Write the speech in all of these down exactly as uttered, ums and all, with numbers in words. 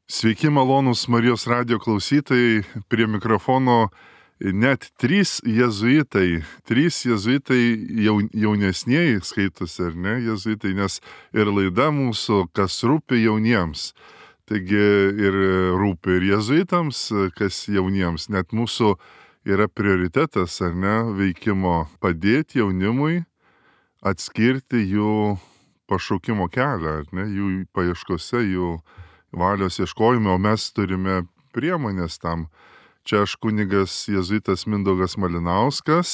Sveiki, malonūs Marijos radijo klausytojai, prie mikrofono net trys jėzuitai, trys jėzuitai jaun, jaunesnieji skaitosi, ar ne, jėzuitai, nes ir laida mūsų, kas rūpi jauniems. Taigi ir rūpi ir jėzuitams, kas jauniems, net mūsų yra prioritetas, ar ne, veikimo padėti jaunimui atskirti jų pašaukimo kelią, ar ne, jų paieškose, jų valios ieškojime, o mes turime priemonės tam. Čia aš kunigas jėzuitas Mindaugas Malinauskas,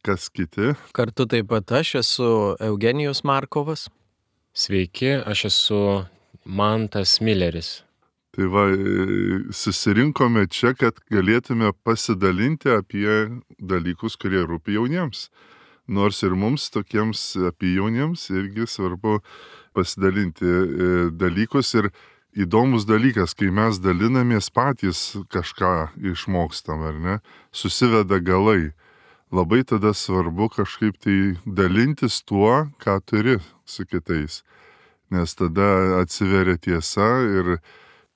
kas kiti? Kartu taip pat aš esu Eugenijus Markovas. Sveiki, aš esu Mantas Milleris. Tai va, susirinkome čia, kad galėtume pasidalinti apie dalykus, kurie rūpi jauniems. Nors ir mums tokiems apie jauniems irgi svarbu pasidalinti dalykus ir įdomus dalykas, kai mes dalinamės patys kažką išmokstam, ar ne, susiveda galai. Labai tada svarbu kažkaip tai dalintis tuo, ką turi su kitais. Nes tada atsiveria tiesa ir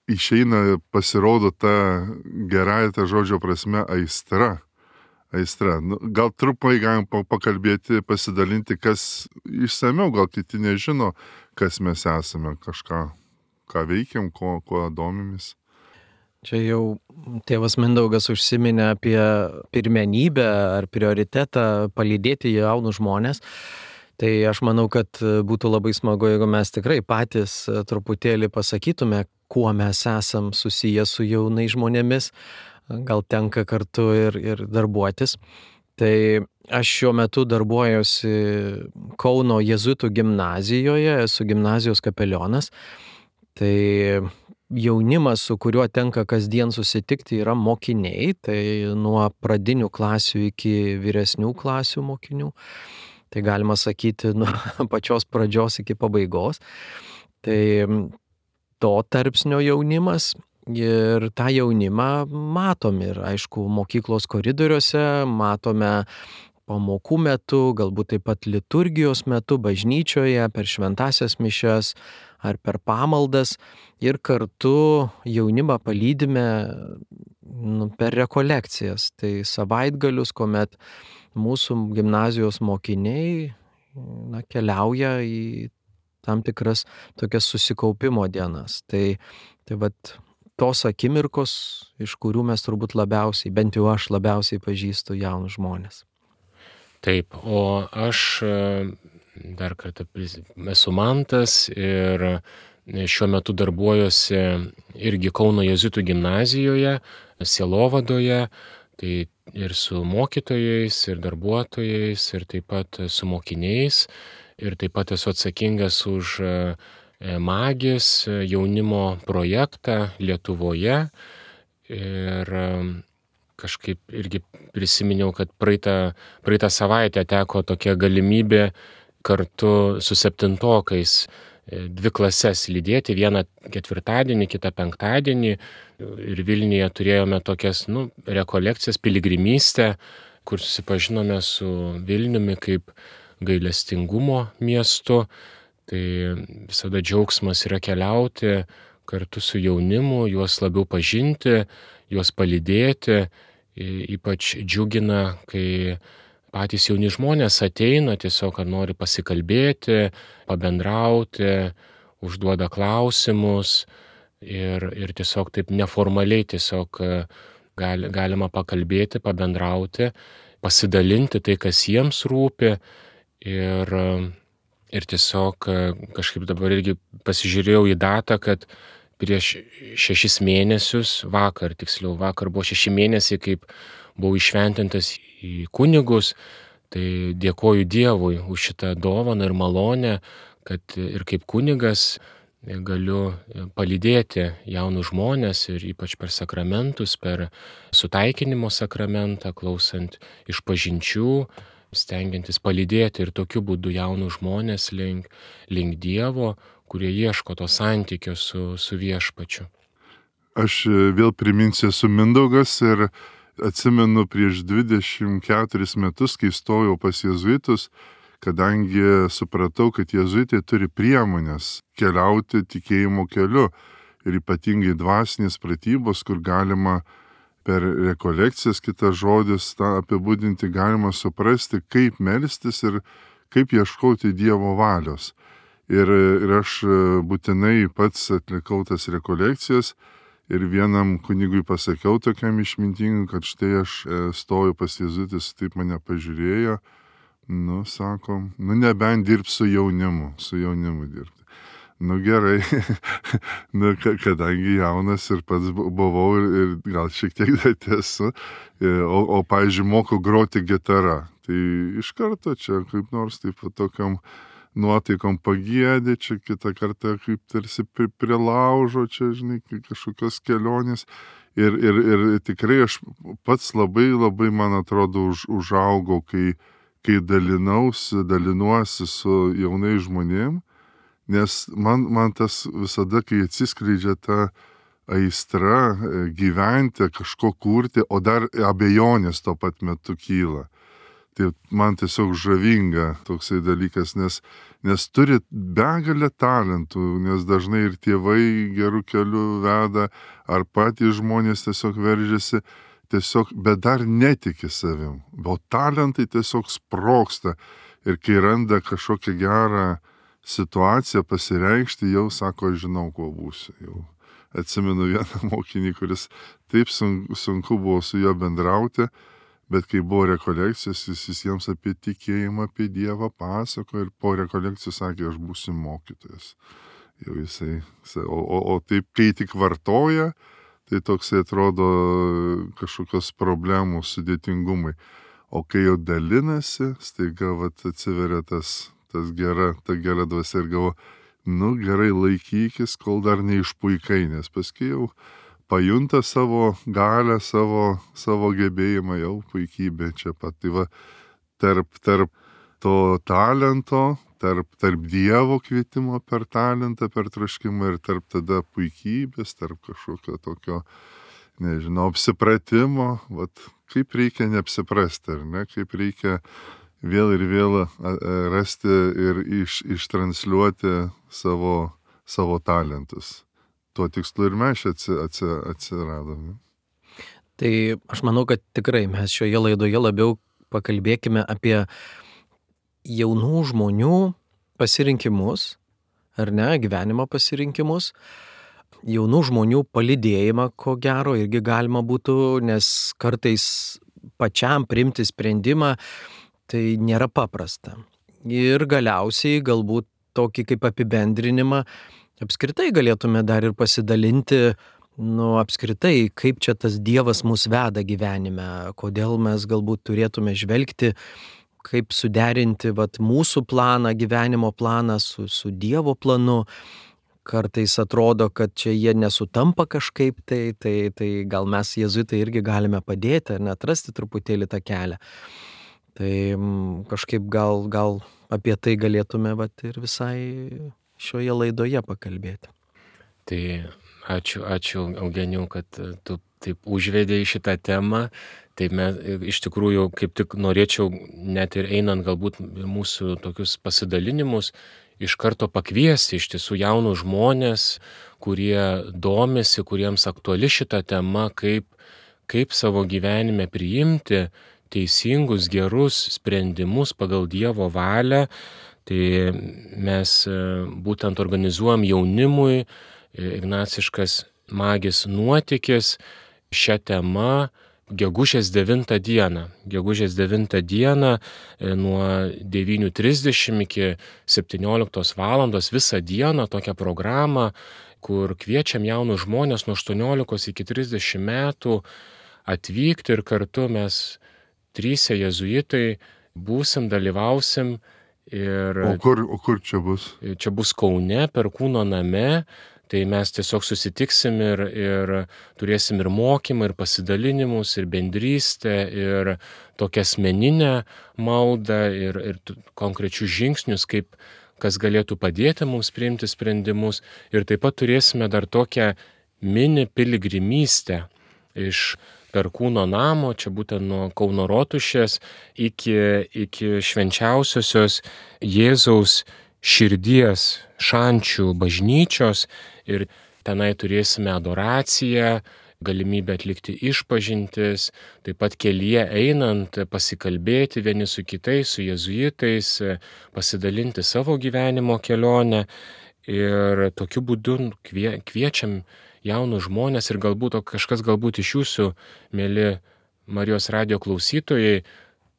išeina, pasirodo ta gerąja ta žodžio prasme aistra. Aistra. Nu, gal trupai galim pakalbėti, pasidalinti, kas išsamiau, gal kiti nežino, kas mes esame, kažką, ką veikiam, kuo, kuo domimės. Čia jau tėvas Mindaugas užsiminė apie pirmenybę ar prioritetą palydėti jaunus žmonės. Tai aš manau, kad būtų labai smagu, jeigu mes tikrai patys truputėlį pasakytume, kuo mes esam susiję su jaunais žmonėmis. Gal tenka kartu ir, ir darbuotis. Tai aš šiuo metu darbuojuosi Kauno jėzuitų gimnazijoje, esu gimnazijos kapelionas. Tai jaunimas, su kuriuo tenka kasdien susitikti, yra mokiniai, tai nuo pradinių klasių iki vyresnių klasių mokinių. Tai galima sakyti nuo pačios pradžios iki pabaigos. Tai to tarpsnio jaunimas. Ir tą jaunimą matom ir, aišku, mokyklos koridoriuose, matome pamokų metu, galbūt taip pat liturgijos metu, bažnyčioje, per šventasias mišias ar per pamaldas. Ir kartu jaunimą palydime nu, per rekolekcijas. Tai savaitgalius, kuomet mūsų gimnazijos mokiniai na, keliauja į tam tikras tokias susikaupimo dienas. Tai, tai vat, tos akimirkos, iš kurių mes turbūt labiausiai, bent jau aš labiausiai pažįstu jaunus žmonės. Taip, o aš dar kartą esu Mantas ir šiuo metu darbuojuosi irgi Kauno jėzuitų gimnazijoje, sielovadoje, tai ir su mokytojais, ir darbuotojais, ir taip pat su mokiniais, ir taip pat esu atsakingas už Magis jaunimo projektą Lietuvoje ir kažkaip irgi prisiminiau, kad praeitą, praeitą savaitę teko tokia galimybė kartu su septintokais dvi klases lydėti, vieną ketvirtadienį, kitą penktadienį ir Vilniuje turėjome tokias nu, rekolekcijas, piligrimystę, kur susipažinome su Vilniumi kaip gailestingumo miestu. Tai visada džiaugsmas yra keliauti kartu su jaunimu, juos labiau pažinti, juos palydėti. Ypač džiugina, kai patys jauni žmonės ateina, tiesiog nori pasikalbėti, pabendrauti, užduoda klausimus ir, ir tiesiog taip neformaliai tiesiog gali, galima pakalbėti, pabendrauti, pasidalinti tai, kas jiems rūpi ir Ir tiesiog kažkaip dabar irgi pasižiūrėjau į datą, kad prieš šešis mėnesius, vakar tiksliau, vakar buvo šeši mėnesiai, kaip buvau iššventintas į kunigus, tai dėkoju Dievui už šitą dovaną ir malonę, kad ir kaip kunigas galiu palydėti jaunus žmonės ir ypač per sakramentus, per sutaikinimo sakramentą, klausant išpažinčių, stengiantis palydėti ir tokiu būdu jaunus žmonės link, link Dievo, kurie ieško to santykio su, su viešpačiu. Aš vėl priminsiu, esu Mindaugas ir atsimenu prieš dvidešimt keturis metus, kai stojau pas jėzuitus, kadangi supratau, kad jėzuitai turi priemonės keliauti tikėjimo keliu. ir ypatingai dvasinės pratybos, kur galima per rekolekcijas, kitas žodis, tą apibūdinti, galima suprasti, kaip melstis ir kaip ieškoti Dievo valios. Ir, ir aš būtinai pats atlikau tas rekolekcijas ir vienam kunigui pasakiau tokiam išmintingui, kad štai aš stoju pas jėzuitus, taip mane pažiūrėjo, nu, sako, nu, nebent dirb su jaunimu, su jaunimu dirbti. Nu, gerai, nu, kadangi jaunas ir pats buvau ir, ir gal šiek tiek dar esu, o, o pavyzdžiui, moku groti gitarą, tai iš karto čia kaip nors taip tokiam nuotaikom pagėdė, čia kitą kartą kaip tarsi prie laužo, čia, žinai, kažkokios kelionės. Ir, ir, ir tikrai aš pats labai, labai, man atrodo, už, užaugau, kai, kai dalinausi, dalinuosi su jaunais žmonėm, nes man, man tas visada, kai atsiskleidžia ta aistra gyventi, kažko kurti, o dar abejonės tuo pat metu kyla. Tai man tiesiog žavinga toksai dalykas, nes, nes turi begalę talentų, nes dažnai ir tėvai gerų kelių veda, ar patys žmonės tiesiog veržiasi, tiesiog, bet dar netiki savim. O talentai tiesiog sprogsta ir kai randa kažkokią gerą situaciją pasireikšti, jau sako, aš žinau, kuo būsiu. Jau atsimenu vieną mokinį, kuris taip sunku, sunku buvo su juo bendrauti, bet kai buvo rekolekcijos, jis visiems apie tikėjimą, apie Dievą pasako ir po rekolekcijų sakė, aš būsiu mokytojas. Jau jisai, o, o, o taip, kai tik vartoja, tai toksai atrodo kažkokios problemų, sudėtingumai. O kai jau dalinasi, staiga vat atsiveria tas, tas gera, ta gera dvasia ir galvo, nu gerai laikykis, kol dar neišpuikai, nes paskui jau pajunta savo galę, savo, savo gebėjimą, jau puikybė čia pat. Tai va, tarp, tarp to talento, tarp, tarp Dievo kvietimo per talentą, per troškimą ir tarp tada puikybės, tarp kažkokio tokio, nežinau, apsipratimo, vat, kaip reikia neapsiprasti, ar ne, kaip reikia vėl ir vėl rasti ir iš, ištransliuoti savo, savo talentus. Tuo tikslu ir mes atsi, atsi, atsiradome. Tai aš manau, kad tikrai mes šioje laidoje labiau pakalbėkime apie jaunų žmonių pasirinkimus, ar ne, gyvenimo pasirinkimus, jaunų žmonių palydėjimą, ko gero, irgi galima būtų, nes kartais pačiam priimti sprendimą, tai nėra paprasta. Ir galiausiai galbūt tokį kaip apibendrinimą apskritai galėtume dar ir pasidalinti, nu, apskritai, kaip čia tas Dievas mus veda gyvenime, kodėl mes galbūt turėtume žvelgti, kaip suderinti vat, mūsų planą, gyvenimo planą su, su Dievo planu. Kartais atrodo, kad čia jie nesutampa kažkaip, tai, tai, tai gal mes jėzuitai irgi galime padėti ar neatrasti truputėlį tą kelią. Tai kažkaip gal, gal apie tai galėtume vat, ir visai šioje laidoje pakalbėti. Tai ačiū, ačiū Eugenijau, kad tu taip užvedei šitą temą. Tai mes iš tikrųjų kaip tik norėčiau net ir einant galbūt mūsų tokius pasidalinimus iš karto pakviesti iš tiesų jaunus žmonės, kurie domisi, kuriems aktuali šita tema, kaip, kaip savo gyvenime priimti teisingus, gerus sprendimus pagal Dievo valią. Tai mes būtent organizuojam jaunimui ignaciškas magis nuotykis šią temą gegužės devintą dieną. Gegužės devintą dieną nuo devynių trisdešimt iki septynioliktos valandos visą dieną tokią programą, kur kviečiam jaunus žmonės nuo aštuoniolikos iki trisdešimt metų atvykti ir kartu mes trysia jėzuitai būsim, dalyvausim. Ir o, kur, o kur čia bus? Čia bus Kaune, Perkūno name, tai mes tiesiog susitiksim ir, ir turėsim ir mokymą, ir pasidalinimus, ir bendrystę, ir tokią asmeninę maldą, ir, ir konkrečius žingsnius, kaip kas galėtų padėti mums priimti sprendimus. Ir taip pat turėsime dar tokią mini piligrimystę iš Perkūno namo, čia būtent nuo Kauno Rotušės iki, iki švenčiausiosios Jėzaus širdies šančių bažnyčios ir tenai turėsime adoraciją, galimybę atlikti išpažintis, taip pat kelyje einant pasikalbėti vieni su kitais, su jėzuitais, pasidalinti savo gyvenimo kelionę ir tokiu būdu kvie, kviečiam jaunus žmonės ir galbūt kažkas galbūt iš jūsų, mėly Marijos radijo klausytojai,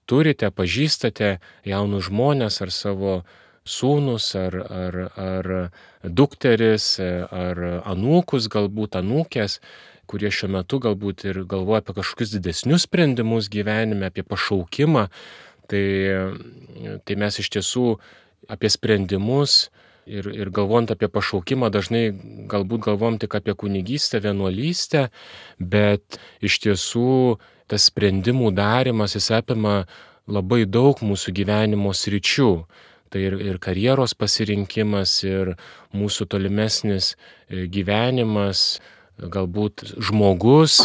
turite, pažįstate jaunus žmonės ar savo sūnus, ar, ar, ar dukteris, ar anūkus, galbūt anūkės, kurie šiuo metu galbūt ir galvoja apie kažkokius didesnius sprendimus gyvenime, apie pašaukimą, tai, tai mes iš tiesų apie sprendimus ir, ir galvojant apie pašaukimą dažnai galbūt galvojam tik apie kunigystę, vienuolystę, bet iš tiesų tas sprendimų darimas jis apima labai daug mūsų gyvenimo sričių. Tai ir, ir karjeros pasirinkimas, ir mūsų tolimesnis gyvenimas, galbūt žmogus,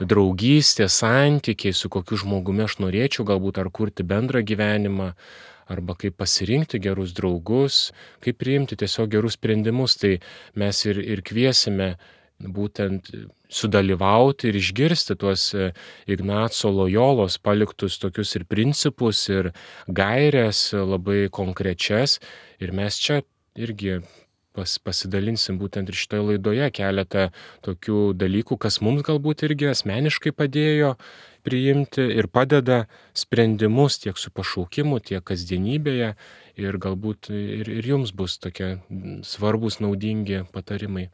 draugystė, santykiai, su kokiu žmogumi aš norėčiau galbūt ar kurti bendrą gyvenimą, arba kaip pasirinkti gerus draugus, kaip priimti tiesiog gerus sprendimus. Tai mes ir, ir kviesime būtent sudalyvauti ir išgirsti tuos Ignaco Lojolos paliktus tokius ir principus, ir gaires labai konkrečias. Ir mes čia irgi pas, pasidalinsim būtent ir šitoje laidoje keletą tokių dalykų, kas mums galbūt irgi asmeniškai padėjo priimti ir padeda sprendimus tiek su pašaukimu, tiek kasdienybėje. Ir galbūt ir, ir jums bus tokie svarbus, naudingi patarimai.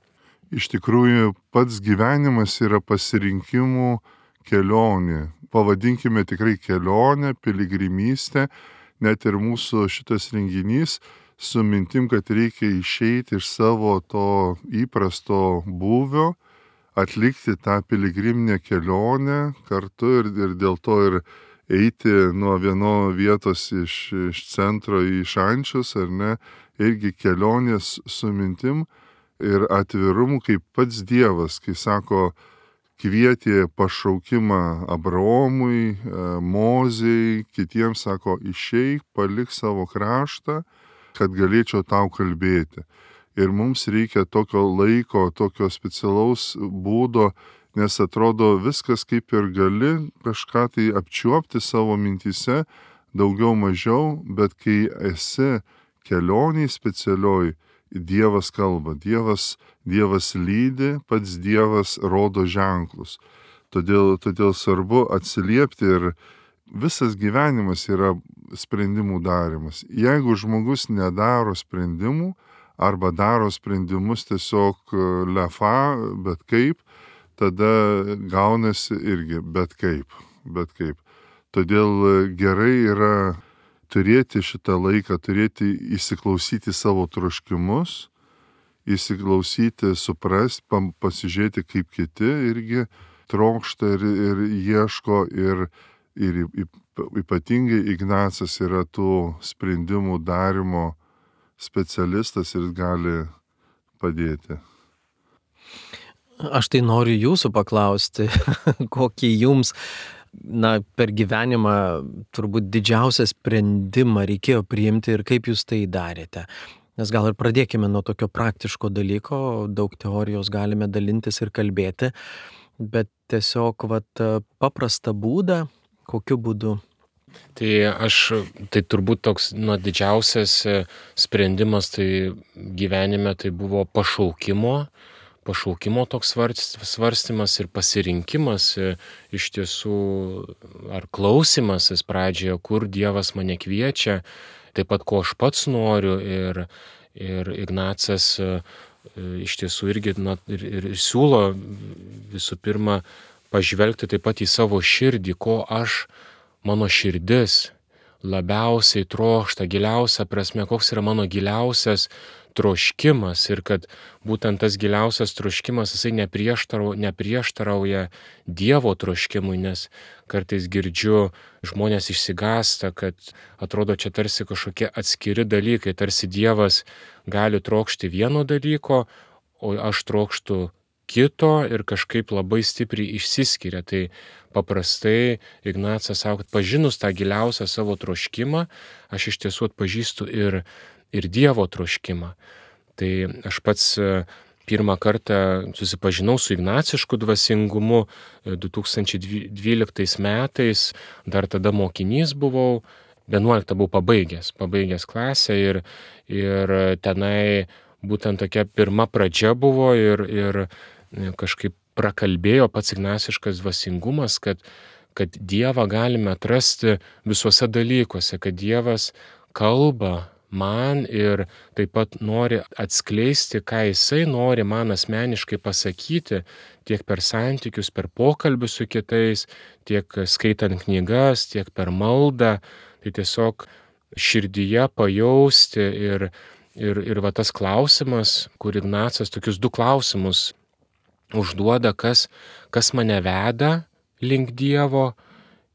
Iš tikrųjų, pats gyvenimas yra pasirinkimų kelionė. Pavadinkime tikrai kelionę, piligrimystę, net ir mūsų šitas renginys su mintim, kad reikia išeiti iš savo to įprasto būvio, atlikti tą piligriminę kelionę kartu ir, ir dėl to ir eiti nuo vieno vietos iš, iš centro į Šančius, ar ne, irgi kelionės su mintim ir atvirumu, kaip pats Dievas, kai sako, kvietė pašaukimą Abraomui, Mozei, kitiems sako, išeik, palik savo kraštą, kad galėčiau tau kalbėti. Ir mums reikia tokio laiko, tokio specialaus būdo, nes atrodo viskas kaip ir gali kažką tai apčiuopti savo mintyse, daugiau mažiau, bet kai esi kelioniai specialioj, Dievas kalba, Dievas, Dievas lydi, pats Dievas rodo ženklus. Todėl, todėl svarbu atsiliepti ir visas gyvenimas yra sprendimų darimas. Jeigu žmogus nedaro sprendimų arba daro sprendimus tiesiog lefa, bet kaip, tada gaunasi irgi bet kaip, bet kaip. Todėl gerai yra turėti šitą laiką, turėti įsiklausyti savo troškimus, įsiklausyti, suprasti, pasižiūrėti, kaip kiti irgi trokšta ir, ir ieško. Ir, ir ypatingai Ignacas yra tų sprendimų darimo specialistas ir gali padėti. Aš tai noriu jūsų paklausti, kokį jums na, per gyvenimą turbūt didžiausią sprendimą reikėjo priimti ir kaip jūs tai darėte. Nes gal ir pradėkime nuo tokio praktiško dalyko, daug teorijos galime dalintis ir kalbėti, bet tiesiog vat, paprastą būdą, kokiu būdu. Tai aš, tai turbūt toks nu, didžiausias sprendimas tai gyvenime tai buvo pašaukimo, pašaukimo toks svarstymas ir pasirinkimas iš tiesų, ar klausimasis pradžioje, kur Dievas mane kviečia, taip pat ko aš pats noriu ir, ir Ignacas iš tiesų irgi na, ir, ir siūlo visų pirma pažvelgti taip pat į savo širdį, ko aš, mano širdis labiausiai trokšta, giliausia prasme, koks yra mano giliausias troškimas ir kad būtent tas giliausias troškimas jisai neprieštarauja, neprieštarauja Dievo troškimui, nes kartais girdžiu, žmonės išsigąsta, kad atrodo čia tarsi kažkokie atskiri dalykai, tarsi Dievas gali trokšti vieno dalyko, o aš trokštu kito ir kažkaip labai stipriai išsiskiria. Tai paprastai Ignacas sako, kad pažinus tą giliausią savo troškimą, aš iš tiesų atpažįstu ir ir Dievo troškimą. Tai aš pats pirmą kartą susipažinau su ignacišku dvasingumu du tūkstančiai dvyliktais metais, dar tada mokinys buvau, vienuoliktą buvau pabaigęs, pabaigęs klasę ir, ir tenai būtent tokia pirma pradžia buvo ir, ir kažkaip prakalbėjo pats ignaciškas dvasingumas, kad, kad Dievą galime atrasti visuose dalykuose, kad Dievas kalba man ir taip pat nori atskleisti, ką Jisai nori man asmeniškai pasakyti, tiek per santykius, per pokalbius su kitais, tiek skaitant knygas, tiek per maldą. Tai tiesiog širdyje pajausti ir, ir, ir va tas klausimas, kur Ignacas tokius du klausimus užduoda, kas, kas mane veda link Dievo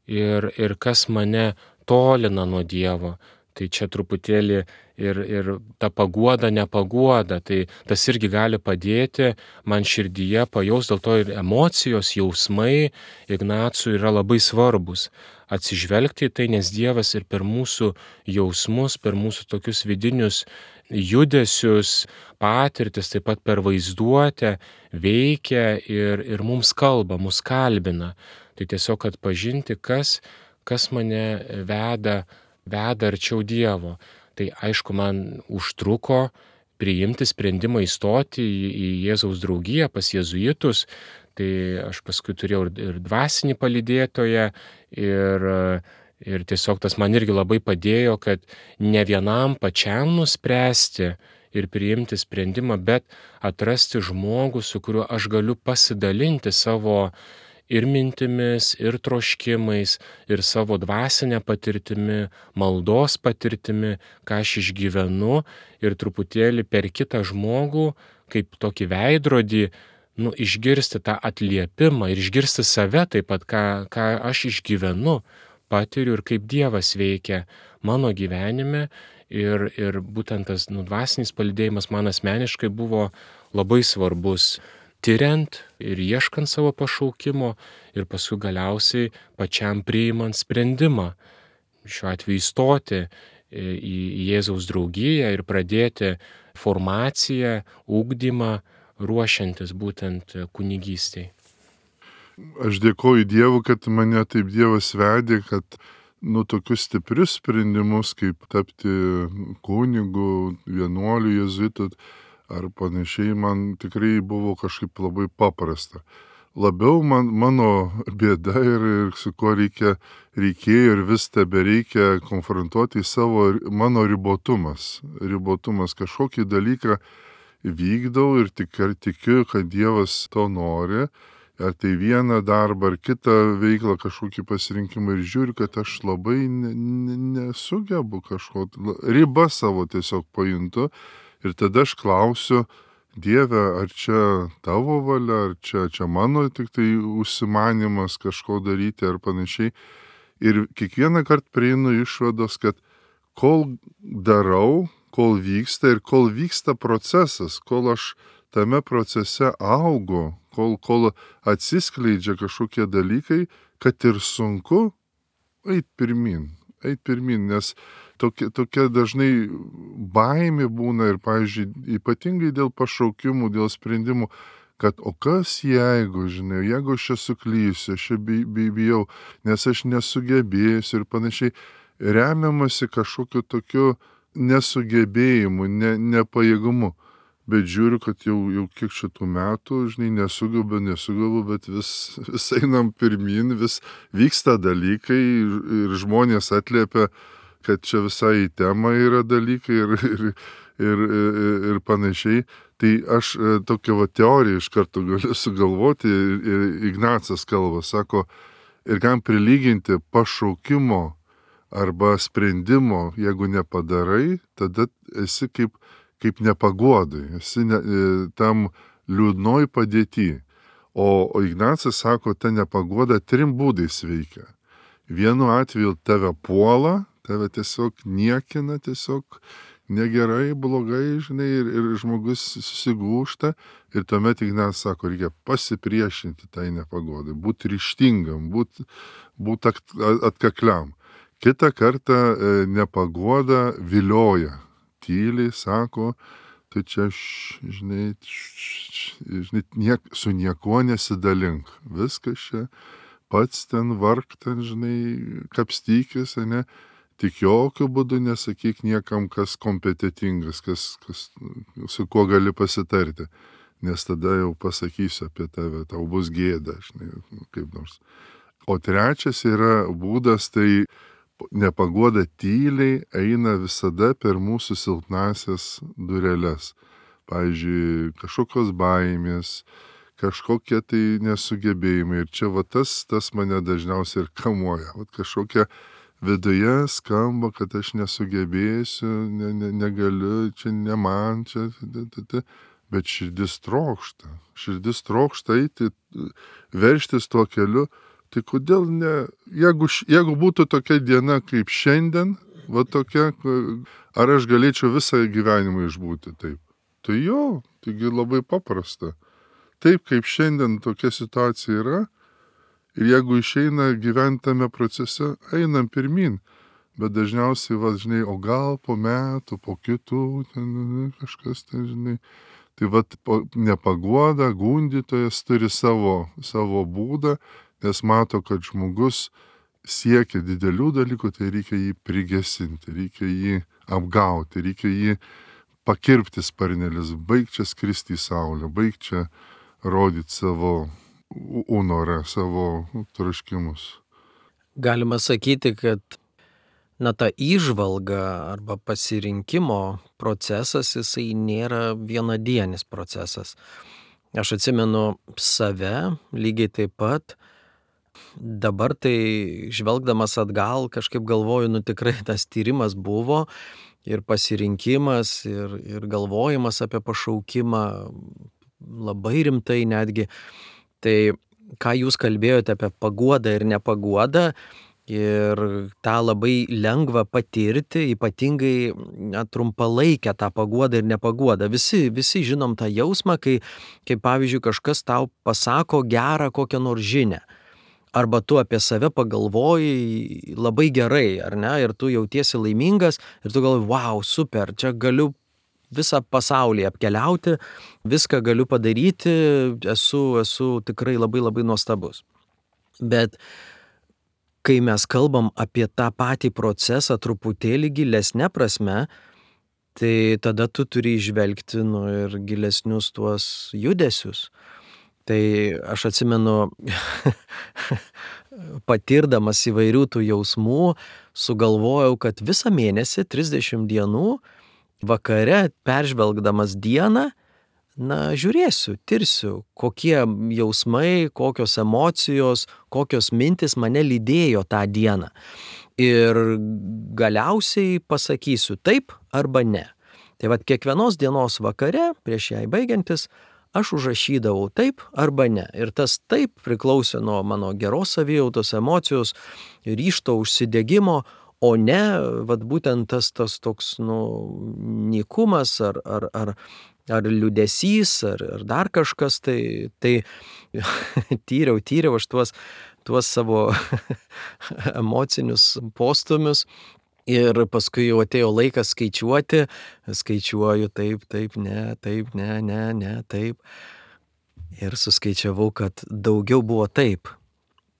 ir, ir kas mane tolina nuo Dievo. Tai čia truputėlį ir, ir ta paguoda, nepaguoda, tai tas irgi gali padėti man širdyje pajaus, dėl to ir emocijos, jausmai Ignacui yra labai svarbus. Atsižvelgti į tai, nes Dievas ir per mūsų jausmus, per mūsų tokius vidinius judesius, patirtis, taip pat per vaizduotę veikia ir, ir mums kalba, mus kalbina. Tai tiesiog atpažinti, kas, kas mane veda veda arčiau Dievo. Tai aišku, man užtruko priimti sprendimą įstoti į, į Jėzaus draugiją pas jėzuitus. Tai aš paskui turėjau ir, ir dvasinį palydėtoją ir, ir tiesiog tas man irgi labai padėjo, kad ne vienam pačiam nuspręsti ir priimti sprendimą, bet atrasti žmogų, su kuriuo aš galiu pasidalinti savo ir mintimis, ir troškimais, ir savo dvasinę patirtimi, maldos patirtimi, ką aš išgyvenu ir truputėlį per kitą žmogų, kaip tokį veidrodį, nu, išgirsti tą atliepimą ir išgirsti save taip pat, ką, ką aš išgyvenu, patiriu ir kaip Dievas veikia mano gyvenime. Ir, ir būtent tas nu, dvasinis palydėjimas man asmeniškai buvo labai svarbus, tyriant ir ieškant savo pašaukimo ir paskui galiausiai pačiam priimant sprendimą, šiuo atveju įstoti į Jėzaus draugiją ir pradėti formaciją, ugdymą, ruošiantis būtent kunigystei. Aš dėkoju Dievui, kad mane taip Dievas vedė, kad nu tokius stiprius sprendimus, kaip tapti kunigu, vienuoliu, jėzuitu ar panašiai, man tikrai buvo kažkaip labai paprasta. Labiau man, mano bėda ir, ir su kuo reikia, reikėjo ir vis tebe reikia konfrontuoti savo, mano ribotumas. Ribotumas kažkokį dalyką vykdau ir tik, ir tikiu, kad Dievas to nori. Ar tai vieną darbą, ar kitą veiklą, kažkokį pasirinkimą ir žiūriu, kad aš labai ne, ne, nesugebu kažko, ribą savo tiesiog pajuntu. Ir tada aš klausiu, Dieve, ar čia tavo valia, ar čia, čia mano tik tai užsimanimas kažko daryti ar panašiai. Ir kiekvieną kartą prieinu išvados, kad kol darau, kol vyksta ir kol vyksta procesas, kol aš tame procese augu, kol, kol atsiskleidžia kažkokie dalykai, kad ir sunku eit pirmin, eit pirmin, nes tokia, tokia dažnai baimė būna ir, pavyzdžiui, ypatingai dėl pašaukimų, dėl sprendimų, kad o kas jeigu, žinai, jeigu aš čia suklysiu, aš čia bijau, nes aš nesugebėsiu ir panašiai, remiamasi kažkokiu tokiu nesugebėjimu, ne, nepajėgumu. Bet žiūriu, kad jau, jau kiek šitų metų, žinai, nesugebu, nesugebu, bet vis, vis einam pirmin, vis vyksta dalykai ir žmonės atliepia, kad čia visai į temą yra dalykai ir, ir, ir, ir, ir panašiai. Tai aš tokią va teoriją iš karto galiu sugalvoti ir Ignacas kalba, sako, ir kam prilyginti pašaukimo arba sprendimo, jeigu nepadarai, tada esi kaip kaip nepaguodai, esi ne, tam liūdnoj padėty. O, o Ignacas sako, ta nepaguoda trim būdais veikia. Vienu atveju tave puola, tave tiesiog niekina, tiesiog negerai, blogai, žinai, ir, ir žmogus susigūšta. Ir tuomet Ignacas sako, reikia pasipriešinti tai nepagodai, būti ryžtingam, būti būt atkakliam. Kitą kartą nepagoda vilioja. Tyliai sako, tai čia, š, žinai, š, žinai niek, su niekuo nesidalink. Viskas čia pats ten vark, ten, žinai, kapstykis, ne? Tik jokių būdų nesakyk niekam, kas kompetitingas, kas, kas, su kuo gali pasitarti. Nes tada jau pasakysiu apie tave, tau bus gėda, žinai, kaip nors. O trečias yra būdas, tai nepaguoda tyliai eina visada per mūsų silpnasias dureles. Pavyzdžiui, kažkokios baimės, kažkokie tai nesugebėjimai. Ir čia va tas, tas mane dažniausiai ir kamuoja. Va kažkokia viduje skamba, kad aš nesugebėsiu, ne, ne, negaliu, čia ne man, čia, bet širdis trokšta. Širdis trokšta eiti, verštis tuo keliu. Tai kodėl ne, jeigu, jeigu būtų tokia diena kaip šiandien, va tokia, ar aš galėčiau visą gyvenimą išbūti taip? Tai jo, taigi labai paprasta. Taip kaip šiandien tokia situacija yra, ir jeigu išeina gyventi tame procese, einam pirmin. Bet dažniausiai, va, žinai, o gal po metų, po kitų, ten kažkas, ten, žinai. Tai va, nepaguoda, gundytojas turi savo, savo būdą, nes mato, kad žmogus siekia didelių dalykų, tai reikia jį prigesinti, reikia jį apgauti, reikia jį pakirpti sparnelis, baig čia skristi į saulę, baig čia rodyti savo unorą, savo troškimus. Galima sakyti, kad na, ta įžvalga arba pasirinkimo procesas, jisai nėra vienadienis procesas. Aš atsimenu save lygiai taip pat. Dabar tai žvelgdamas atgal kažkaip galvoju, nu tikrai tas tyrimas buvo ir pasirinkimas ir, ir galvojimas apie pašaukimą labai rimtai netgi. Tai ką jūs kalbėjote apie paguodą ir nepaguodą ir tą labai lengva patirti, ypatingai na, trumpalaikę tą paguodą ir nepaguodą. Visi, visi žinom tą jausmą, kai, kai pavyzdžiui kažkas tau pasako gerą kokią nors žinią. Arba tu apie save pagalvoji labai gerai, ar ne, ir tu jautiesi laimingas ir tu galvoji, wow, super, čia galiu visą pasaulį apkeliauti, viską galiu padaryti, esu, esu tikrai labai labai nuostabus. Bet kai mes kalbam apie tą patį procesą truputėlį gilesnė prasme, tai tada tu turi įžvelgti nu, ir gilesnius tuos judesius. Tai aš atsimenu, patirdamas įvairių tų jausmų, sugalvojau, kad visą mėnesį, trisdešimt dienų, vakare peržvelgdamas dieną, na, žiūrėsiu, tirsiu, kokie jausmai, kokios emocijos, kokios mintis mane lydėjo tą dieną. Ir galiausiai pasakysiu taip arba ne. Tai vat kiekvienos dienos vakare, prieš jai baigiantis, aš užrašydavau taip arba ne. Ir tas taip priklausė nuo mano geros savijautos, emocijos, ryžto, užsidegimo, o ne, vat būtent tas, tas toks, nu, nykumas ar, ar, ar, ar liūdesys, ar, ar dar kažkas, tai, tai tyriau, tyriau aš tuos, tuos savo emocinius postumius ir paskui jau atėjo laikas skaičiuoti, skaičiuoju taip, taip, ne, taip, ne, ne, ne, taip. Ir suskaičiavau, kad daugiau buvo taip.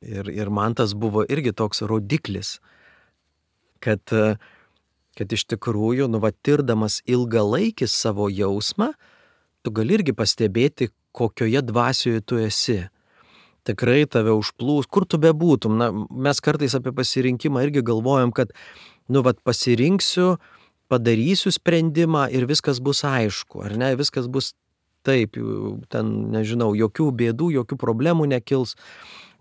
Ir, ir man tas buvo irgi toks rodiklis. Kad, kad iš tikrųjų, nu, va, tirdamas ilgalaikį savo jausmą, tu gali irgi pastebėti, kokioje dvasioje tu esi. Tikrai tave užplūs, kur tu bebūtum. Na, mes kartais apie pasirinkimą irgi galvojam, kad, nu, va, pasirinksiu, padarysiu sprendimą ir viskas bus aišku, ar ne, viskas bus taip, ten, nežinau, jokių bėdų, jokių problemų nekils.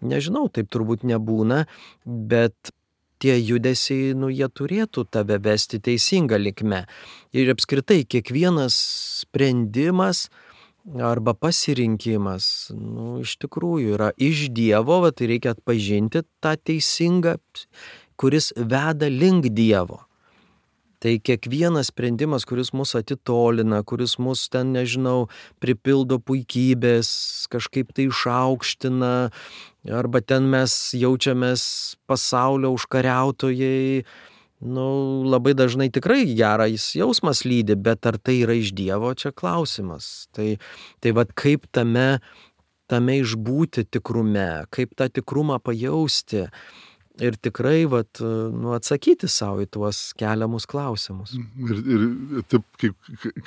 Nežinau, taip turbūt nebūna, bet tie judesiai, nu, jie turėtų tave vesti teisinga linkme. Ir apskritai, kiekvienas sprendimas arba pasirinkimas, nu, iš tikrųjų yra iš Dievo, va, tai reikia atpažinti tą teisingą, kuris veda link Dievo. Tai kiekvienas sprendimas, kuris mus atitolina, kuris mus ten, nežinau, pripildo puikybės, kažkaip tai išaukština, arba ten mes jaučiamės pasaulio užkariautojai, nu, labai dažnai tikrai geras jausmas lydi, bet ar tai yra iš Dievo, čia klausimas. Tai, tai vat kaip tame, tame išbūti tikrume, kaip tą tikrumą pajausti ir tikrai vat, nu, atsakyti savo į tuos keliamus klausimus. Ir, ir taip, kaip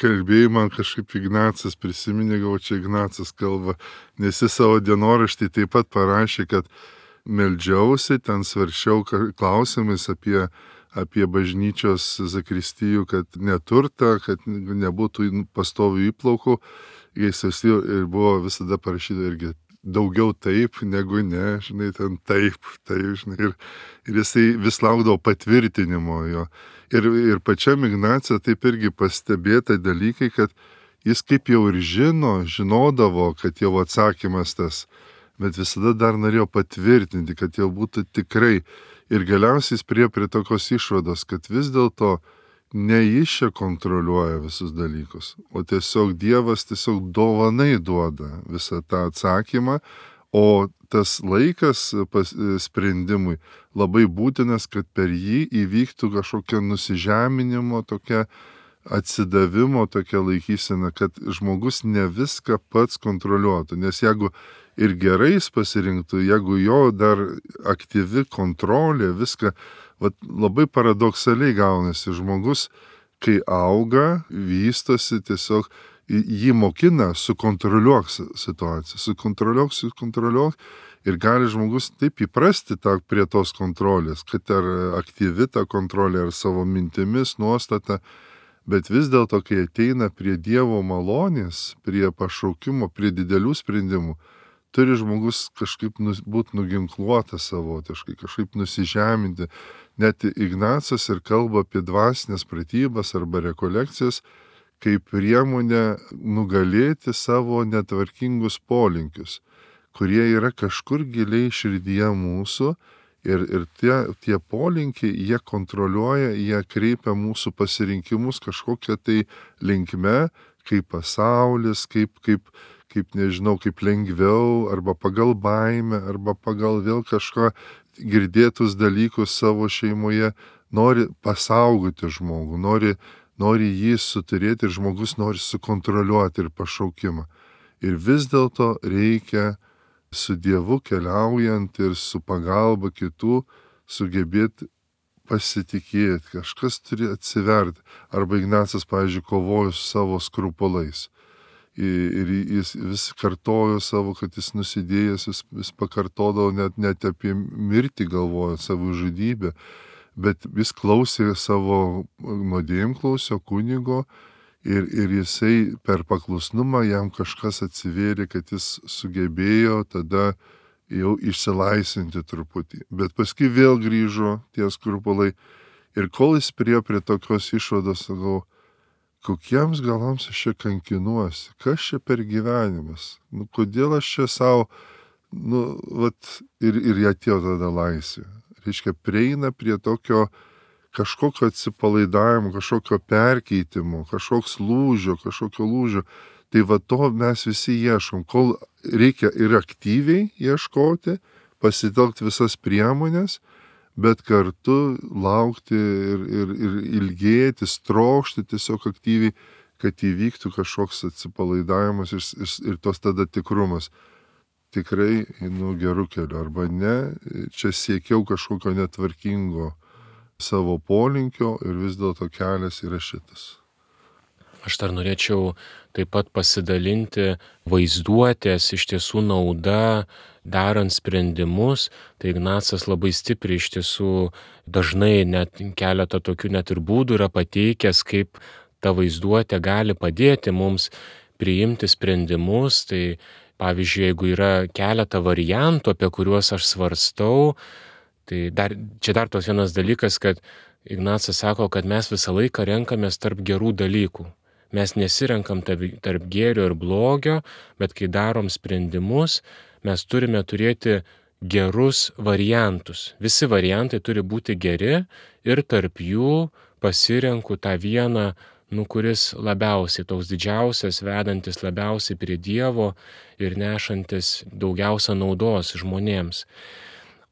kalbėjai, man kažkaip Ignacas prisiminė, gal čia Ignacas kalba, nes jis savo dienoraštį taip pat parašė, kad meldžiausi, ten svaršiau klausimais apie, apie bažnyčios zakristijų, kad neturta, kad nebūtų pastovių įplaukų. Jis ir buvo visada parašyta irgi daugiau taip negu ne, žinai, ten taip, taip, žinai. Ir, ir jisai vis laukdavo patvirtinimo jo. Ir, ir pačiam Ignacija taip irgi pastebėta dalykai, kad jis kaip jau ir žino, žinodavo, kad jau atsakymas tas, bet visada dar norėjo patvirtinti, kad jau būtų tikrai. Ir galiausiai jis prie prie tokios išvados, kad vis dėlto ne jis čia kontroliuoja visus dalykus, o tiesiog Dievas tiesiog dovanai duoda visą tą atsakymą, o tas laikas pas, sprendimui labai būtinas, kad per jį įvyktų kažkokia nusižeminimo, tokia atsidavimo, tokia laikysena, kad žmogus ne viską pats kontroliuotų, nes jeigu ir gerai jis pasirinktų, jeigu jo dar aktyvi kontrolė, viską, vat, labai paradoksaliai gaunasi. Žmogus, kai auga, vystosi, tiesiog jį mokina, sukontroliuok situaciją, sukontroliuok, sukontroliuok ir gali žmogus taip įprasti tą, prie tos kontrolės, kad ar aktyvi ta kontrolė, ar savo mintimis, nuostata, bet vis dėlto, kai ateina prie Dievo malonės, prie pašaukimo, prie didelių sprendimų, turi žmogus kažkaip nus, būti nuginkluotas savotiškai, kažkaip nusižeminti. Net Ignacas ir kalba apie dvasinės pratybas arba rekolekcijas, kaip priemonę nugalėti savo netvarkingus polinkius, kurie yra kažkur giliai širdyje mūsų ir, ir tie, tie polinkiai, jie kontroliuoja, jie kreipia mūsų pasirinkimus kažkokią tai linkme, kaip pasaulis, kaip, kaip kaip nežinau, kaip lengviau, arba pagal baimę, arba pagal vėl kažką girdėtus dalykus savo šeimoje, nori pasaugoti žmogų, nori, nori jį suturėti ir žmogus nori sukontroliuoti ir pašaukimą. Ir vis dėlto reikia su Dievu keliaujant ir su pagalba kitų sugebėti pasitikėti, kažkas turi atsiverti. Arba Ignacas, pavyzdžiui, kovojo su savo skrupulais. Ir jis vis kartojo savo, kad jis nusidėjęs, vis, vis pakartodavo net, net apie mirtį galvojo, savo žudybę, bet vis klausė savo nuodėmklausio kunigo ir, ir jisai per paklusnumą jam kažkas atsivėrė, kad jis sugebėjo tada jau išsilaisvinti truputį. Bet paskui vėl grįžo tie skrupulai ir kol jis prie prie tokios išvados, sakau, kokiems galams aš čia kankinuosi, kas čia per gyvenimas, nu, kodėl aš čia savo, nu, vat, ir, ir atėjo tada laisvė. Reiškia, prieina prie tokio kažkokio atsipalaidavimo, kažkokio perkeitimo, kažkoks lūžio, kažkokio lūžio. Tai va to mes visi ieškom, kol reikia ir aktyviai ieškoti, pasitelkti visas priemonės, bet kartu laukti ir, ir, ir ilgėtis, trokšti tiesiog aktyviai, kad įvyktų kažkoks atsipalaidavimas ir, ir, ir tos tada tikrumas. Tikrai einu gerų kelių, arba ne, čia siekiau kažkokio netvarkingo savo polinkio ir vis dėlto kelias yra šitas. Aš dar norėčiau taip pat pasidalinti vaizduotės iš tiesų nauda, darant sprendimus. Tai Ignacas labai stipriai iš tiesų dažnai net keletą tokių net ir būdų yra pateikęs, kaip ta vaizduotė gali padėti mums priimti sprendimus. Tai pavyzdžiui, jeigu yra keletą variantų, apie kuriuos aš svarstau, tai dar, čia dar tos vienas dalykas, kad Ignacas sako, kad mes visą laiką renkamės tarp gerų dalykų. Mes nesirenkam tarp gėrio ir blogio, bet kai darom sprendimus, mes turime turėti gerus variantus. Visi variantai turi būti geri ir tarp jų pasirenku tą vieną, nu, kuris labiausiai, toks didžiausias, vedantis labiausiai prie Dievo ir nešantis daugiausia naudos žmonėms.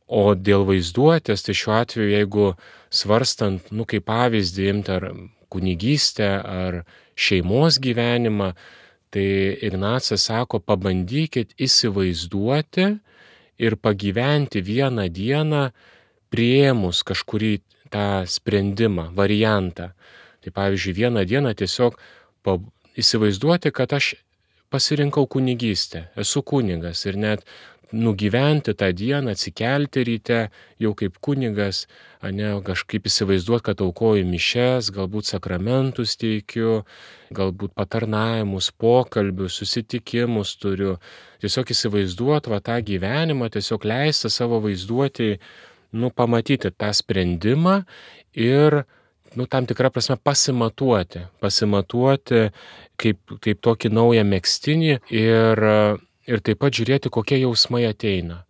O dėl vaizduotės, tai šiuo atveju, jeigu svarstant, nu kaip pavyzdį imti ar kunigystę, ar šeimos gyvenimą, tai Ignacas sako, pabandykit įsivaizduoti ir pagyventi vieną dieną priėmus kažkurį tą sprendimą, variantą. Tai pavyzdžiui, vieną dieną tiesiog pa, įsivaizduoti, kad aš pasirinkau kunigystę, esu kunigas ir net nugyventi tą dieną, atsikelti ryte jau kaip kunigas, ane, kažkaip įsivaizduoti, kad aukoju mišes, galbūt sakramentus teikiu, galbūt patarnavimus, pokalbius, susitikimus turiu. Tiesiog įsivaizduoti va tą gyvenimą, tiesiog leisti savo vaizduoti, nu, pamatyti tą sprendimą ir nu, tam tikrą prasme pasimatuoti, pasimatuoti kaip, kaip tokį naują megztinį ir, ir taip pat žiūrėti, kokie jausmai ateina,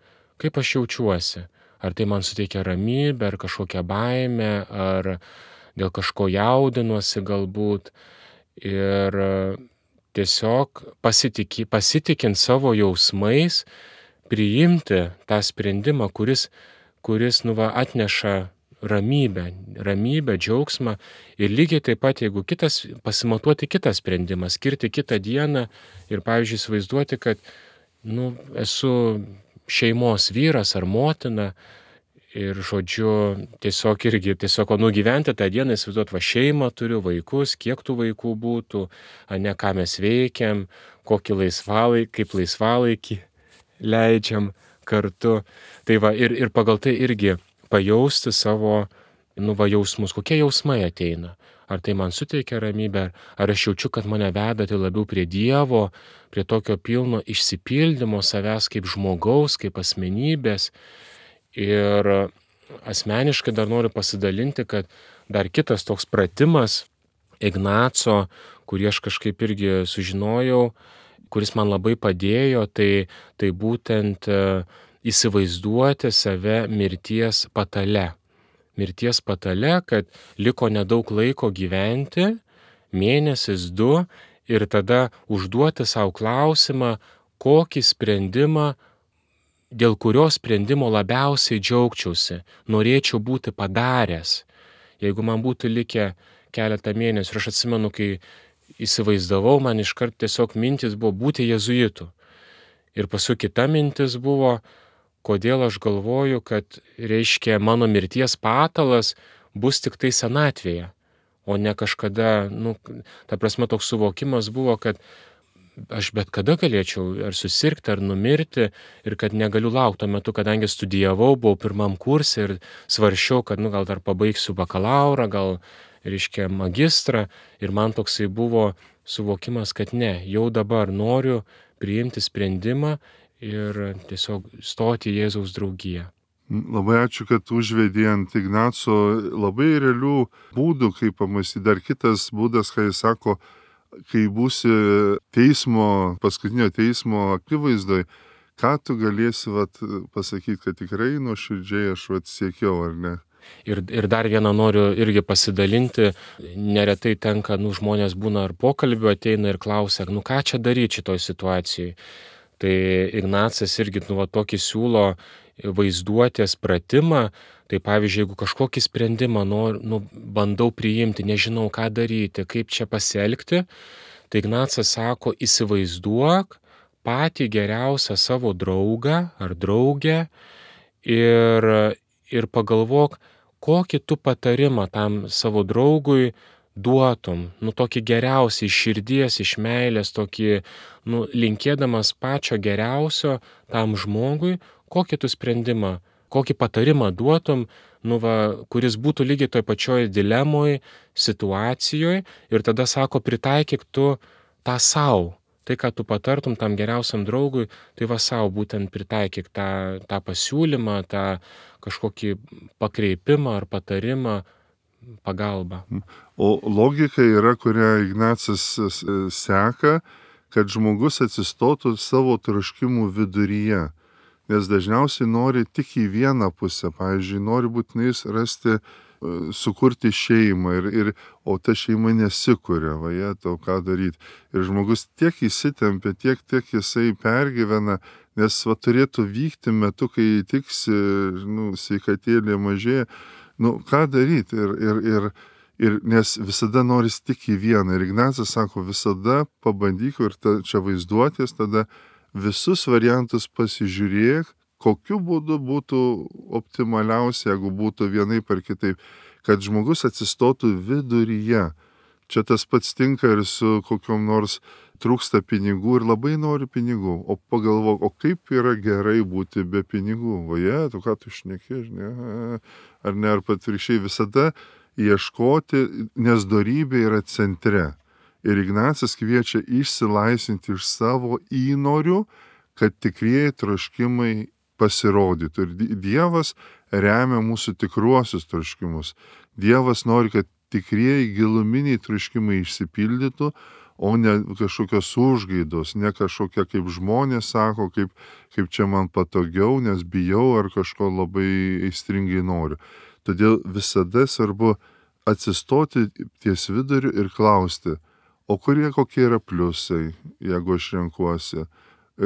kaip aš jaučiuosi, ar tai man suteikia ramybę, ar kažkokią baimę, ar dėl kažko jaudinuosi galbūt ir tiesiog pasitiki, pasitikint savo jausmais, priimti tą sprendimą, kuris, kuris nu, va, atneša ramybę, ramybę, džiaugsmą ir lygiai taip pat, jeigu kitas, pasimatuoti kitą sprendimą, skirti kitą dieną ir, pavyzdžiui, įsivaizduoti, kad nu, esu šeimos vyras ar motina ir, žodžiu, tiesiog irgi, tiesiog nugyventi tą dieną, įsivaizduoti, va šeimą turiu, vaikus, kiek tų vaikų būtų, ne ką mes veikiam, kokį laisvalaikį, kaip laisvalaikį leidžiam kartu. Tai va, ir, ir pagal tai irgi pajausti savo, nu, va, jausmus, kokie jausmai ateina. Ar tai man suteikia ramybę, ar aš jaučiu, kad mane veda tai labiau prie Dievo, prie tokio pilno išsipildymo savęs kaip žmogaus, kaip asmenybės. Ir asmeniškai dar noriu pasidalinti, kad dar kitas toks pratimas Ignaco, kurį aš kažkaip irgi sužinojau, kuris man labai padėjo, tai, tai būtent įsivaizduoti save mirties patale. Mirties patale, kad liko nedaug laiko gyventi, mėnesis, du, ir tada užduoti savo klausimą, kokį sprendimą, dėl kurio sprendimo labiausiai džiaugčiausi, norėčiau būti padaręs. Jeigu man būtų likę keletą mėnesių, ir aš atsimenu, kai įsivaizdavau, man iškart tiesiog mintis buvo būti jėzuitu. Ir paskui kita mintis buvo, kodėl aš galvoju, kad, reiškia, mano mirties patalas bus tik tai senatvėje, o ne kažkada, nu, ta prasme toks suvokimas buvo, kad aš bet kada galėčiau ar susirgti, ar numirti ir kad negaliu laukti tuo metu, kadangi studijavau, buvau pirmam kurse ir svaršiau, kad, nu, gal dar pabaigsiu bakalaurą, gal, reiškia, magistrą ir man toksai buvo suvokimas, kad ne, jau dabar noriu priimti sprendimą ir tiesiog stoti į Jėzaus draugiją. Labai ačiū, kad užvedė ant Ignaco labai realių būdų, kaip pamąstyti. Dar kitas būdas, kai jis sako, kai būsi teismo, paskutinio teismo akivaizdoj, ką tu galėsi vat, pasakyti, kad tikrai nuoširdžiai aš vat, siekiau, ar ne? Ir, ir dar vieną noriu irgi pasidalinti. Neretai tenka, nu, žmonės būna ar pokalbių ateina ir klausia, nu ką čia daryti šitoj situacijai. Tai Ignacas irgi, nu, va, tokį siūlo vaizduotės pratimą. Tai pavyzdžiui, jeigu kažkokį sprendimą nor, nu, bandau priimti, nežinau ką daryti, kaip čia pasielgti, tai Ignacas sako, įsivaizduok patį geriausią savo draugą ar draugę ir, ir pagalvok, kokį tu patarimą tam savo draugui duotum, nu tokį geriausią iš širdies, iš meilės, tokį, nu, linkėdamas pačio geriausio tam žmogui, kokį tu sprendimą, kokį patarimą duotum, nu va, kuris būtų lygiai toj pačioj dilemoj, situacijoje ir tada sako, pritaikyk tu tą savo. Tai, ką tu patartum tam geriausiam draugui, tai va savo būtent pritaikyk tą, tą pasiūlymą, tą kažkokį pakreipimą ar patarimą, pagalbą. O logika yra, kurią Ignacas seka, kad žmogus atsistotų savo troškimų viduryje. Nes dažniausiai nori tik į vieną pusę. Pavyzdžiui, nori būtinai rasti sukurti šeimą, ir, ir, o ta šeima nesikuria, vaje, tau ką daryti. Ir žmogus tiek įsitempia, tiek, tiek jisai pergyvena, nes va, turėtų vykti metu, kai tiksi, nu, sveikatėlė mažėja, nu, ką daryti. Ir, ir, ir, ir nes visada noris tik į vieną. Ir Ignacas sako, visada pabandyk, ir ta, čia vaizduotės, tada visus variantus pasižiūrėk, kokiu būdu būtų optimaliausia, jeigu būtų vienaip ar kitaip, kad žmogus atsistotų viduryje. Čia tas pats tinka ir su kokiom nors trūksta pinigų ir labai nori pinigų, o pagalvok, o kaip yra gerai būti be pinigų. Vaje, tu ką tu šneki, ne? Ar ne, ar patvirkščiai, visada ieškoti, nes dorybė yra centre. Ir Ignacas kviečia išsilaisvinti iš savo įnorių, kad tikrieji troškimai pasirodytų. Ir Dievas remia mūsų tikruosius troškimus. Dievas nori, kad tikrieji giluminiai troškimai išsipildytų, o ne kažkokios užgaidos, ne kažkokia, kaip žmonės sako, kaip, kaip čia man patogiau, nes bijau ar kažko labai aistringai noriu. Todėl visada svarbu atsistoti ties viduriu ir klausti, o kurie kokie yra pliusai, jeigu aš renkuosi,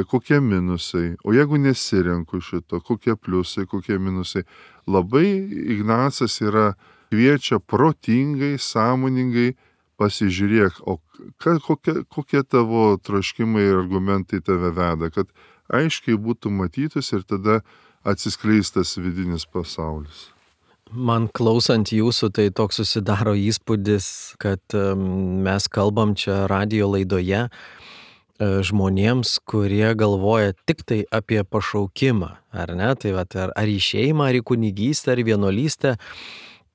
kokie minusai, o jeigu nesirenku šito, kokie pliusai, kokie minusai. Labai Ignacas yra kviečia protingai, sąmoningai pasižiūrėk, o ka, kokie, kokie tavo troškimai ir argumentai tave veda, kad aiškiai būtų matytus ir tada atsiskleistas vidinis pasaulis. Man klausant jūsų, tai toks susidaro įspūdis, kad mes kalbam čia radijo laidoje žmonėms, kurie galvoja tik tai apie pašaukimą, ar ne? Tai vat, ar, ar į šeimą, ar į kunigystę, ar į vienuolystę.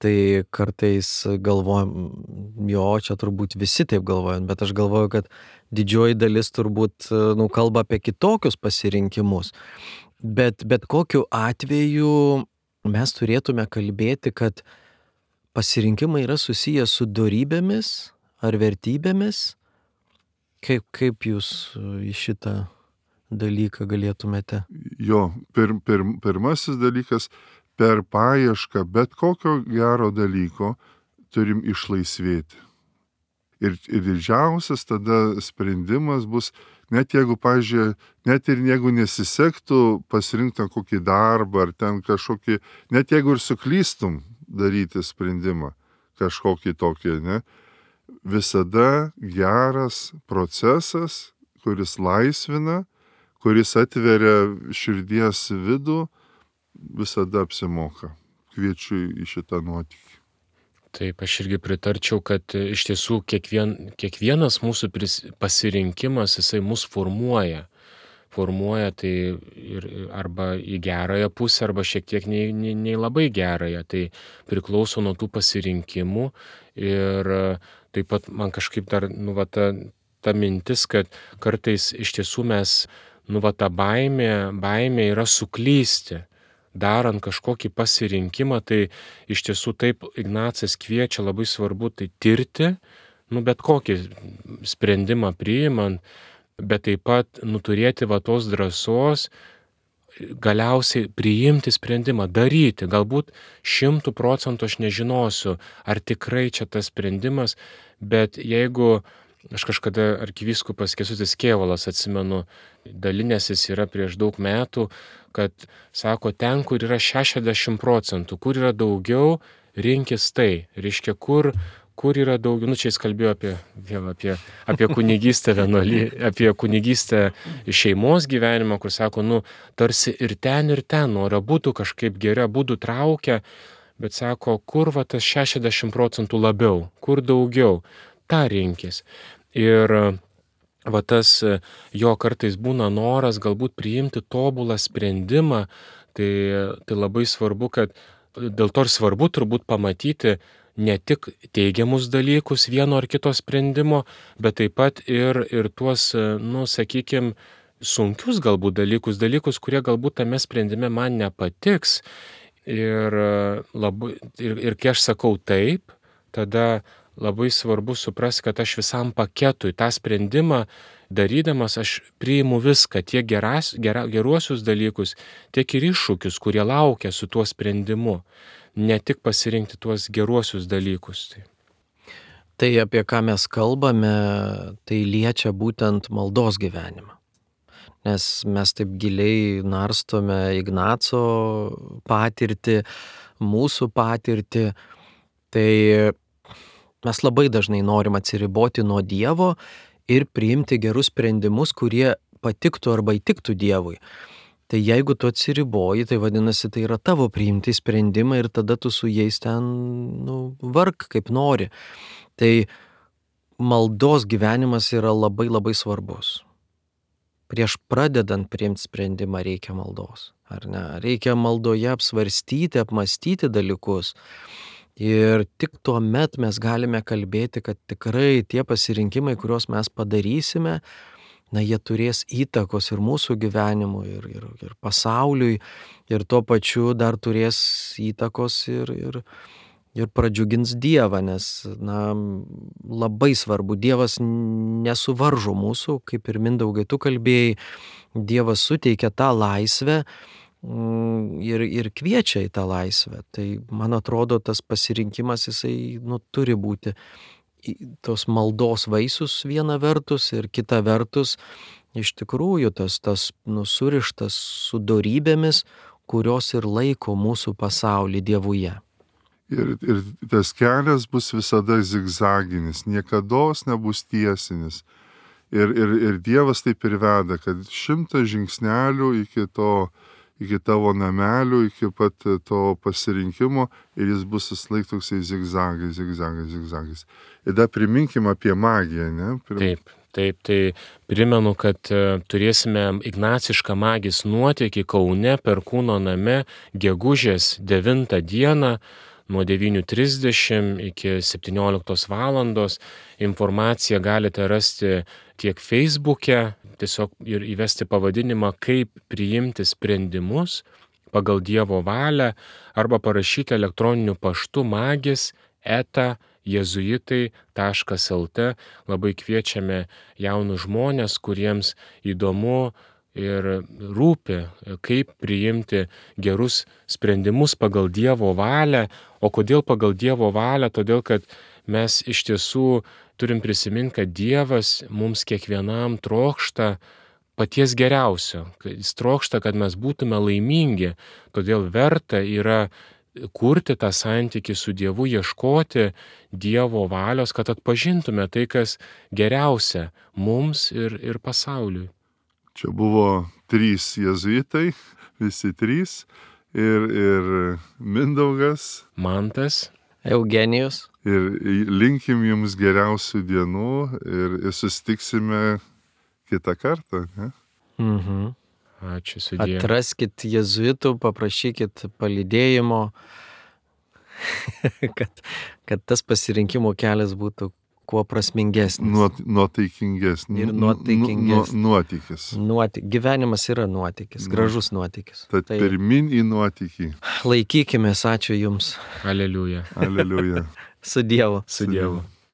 Tai kartais galvojam, jo, čia turbūt visi taip galvojam, bet aš galvoju, kad didžioji dalis turbūt, nu, kalba apie kitokius pasirinkimus. Bet, bet kokiu atveju mes turėtume kalbėti, kad pasirinkimai yra susiję su dorybėmis ar vertybėmis. Kaip, kaip jūs į šitą dalyką galėtumėte? Jo, pir, pir, pirmasis dalykas, per paiešką bet kokio gero dalyko turim išlaisvėti. Ir, ir didžiausias tada sprendimas bus, net jeigu, pažiūrėjau, net ir jeigu nesisektų pasirinkti kokį darbą ar ten kažkokį, net jeigu ir suklystum daryti sprendimą kažkokį tokį, ne? Visada geras procesas, kuris laisvina, kuris atveria širdies vidų, visada apsimoka. Kviečiu į šitą nuotykį. Taip, aš irgi pritarčiau, kad iš tiesų kiekvien, kiekvienas mūsų pris, pasirinkimas, jisai mus formuoja. Formuoja tai ir, arba į gerąją pusę, arba šiek tiek nei, nei, nei labai gerąją. Tai priklauso nuo tų pasirinkimų. Ir taip pat man kažkaip dar, nu, va, ta, ta mintis, kad kartais iš tiesų mes, nu, va, ta baimė, baimė yra suklysti. Darant kažkokį pasirinkimą, tai iš tiesų taip Ignacas kviečia, labai svarbu tai tirti, nu, bet kokį sprendimą priimant, bet taip pat nuturėti va tos drąsos galiausiai priimti sprendimą, daryti. Galbūt šimtų procentų aš nežinosiu, ar tikrai čia tas sprendimas, bet jeigu aš kažkada arkivyskupas Kęstutis Kėvalas, atsimenu, dalinęsis yra prieš daug metų, kad sako, ten, kur yra šešiasdešimt procentų, kur yra daugiau, rinkis tai. Reiškia, kur, kur yra daugiau, nu čia jis kalbėjo apie, vėl, apie, apie kunigystę vienuolį, apie kunigystę šeimos gyvenimą, kur sako, nu, tarsi ir ten, ir ten, nori būtų kažkaip geri, būtų traukia, bet sako, kur va tas šešiasdešimt procentų labiau, kur daugiau, tą rinkis. Ir va tas jo kartais būna noras galbūt priimti tobulą sprendimą, tai, tai labai svarbu, kad dėl to ir svarbu turbūt pamatyti ne tik teigiamus dalykus vieno ar kito sprendimo, bet taip pat ir, ir tuos, nu, sakykime, sunkius galbūt dalykus, dalykus, kurie galbūt tame sprendime man nepatiks. Ir, labai, ir, ir kai aš sakau taip, tada labai svarbu suprasti, kad aš visam paketui tą sprendimą darydamas aš priimu viską, tiek geras, gera, geruosius dalykus, tiek ir iššūkius, kurie laukia su tuo sprendimu. Ne tik pasirinkti tuos geruosius dalykus. Tai. Tai apie ką mes kalbame, tai liečia būtent maldos gyvenimą. Nes mes taip giliai narstome Ignaco patirtį, mūsų patirtį, tai mes labai dažnai norim atsiriboti nuo Dievo ir priimti gerus sprendimus, kurie patiktų arba įtiktų Dievui. Tai jeigu tu atsiriboji, tai vadinasi, tai yra tavo priimti sprendimai ir tada tu su jais ten, nu, vark kaip nori. Tai maldos gyvenimas yra labai labai svarbus. Prieš pradedant priimti sprendimą reikia maldos, ar ne? Reikia maldoje apsvarstyti, apmastyti dalykus. Ir tik tuo met mes galime kalbėti, kad tikrai tie pasirinkimai, kuriuos mes padarysime, na, jie turės įtakos ir mūsų gyvenimui, ir, ir, ir pasauliui, ir tuo pačiu dar turės įtakos ir, ir, ir pradžiugins Dievą, nes, na, labai svarbu, Dievas nesuvaržo mūsų, kaip ir Mindaugai tu kalbėjai, Dievas suteikia tą laisvę ir, ir kviečia į tą laisvę. Tai, man atrodo, tas pasirinkimas, jisai, nu, turi būti tos maldos vaisius viena vertus ir kita vertus iš tikrųjų tas, tas nu, surištas su dorybėmis, kurios ir laiko mūsų pasaulį Dievuje. Ir, ir tas kelias bus visada zigzaginis, niekados nebus tiesinis. Ir, ir, ir Dievas taip ir veda, kad šimtas žingsnelių iki to iki tavo namelių, iki pat to pasirinkimo ir jis bus susilaik toksai zigzagais, zigzagais, zigzagais. Ir dar priminkim apie magiją, ne? Prim... Taip, taip, tai primenu, kad turėsime ignacišką magijos nuotykį Kaune Perkūno name gegužės devintą dieną nuo devynių trisdešimt iki septynioliktos valandos. Informaciją galite rasti tiek Facebook'e, tiesiog ir įvesti pavadinimą kaip priimti sprendimus pagal Dievo valią arba parašyti elektroniniu paštu magis eta jėzuitai taškas lt. Labai kviečiame jaunus žmonės, kuriems įdomu ir rūpi, kaip priimti gerus sprendimus pagal Dievo valią. O kodėl pagal Dievo valią? Todėl, kad mes iš tiesų turim prisiminti, kad Dievas mums kiekvienam trokšta paties geriausio. Jis trokšta, kad mes būtume laimingi. Todėl verta yra kurti tą santykį su Dievu, ieškoti Dievo valios, kad atpažintume tai, kas geriausia mums ir, ir pasauliui. Čia buvo trys jėzuitai, visi trys, ir, ir Mindaugas, Mantas, Eugenijus. Ir linkim jums geriausių dienų ir, ir susitiksime kitą kartą. Ne? Mhm. Ačiū sudie. Atraskit jėzuitų, paprašykit palydėjimo, kad, kad tas pasirinkimo kelias būtų kuo prasmingesnis. Nuot, nuotaikingesnis. Ir nuotaikingesnis. Nu, nuotykis. Nuoty... Gyvenimas yra nuotykis, gražus nuotykis. Tad tai... pirmin į nuotykį. Laikykimės, ačiū Jums. Aleliuja. Aleliuja. Su Dievu. Su Dievu.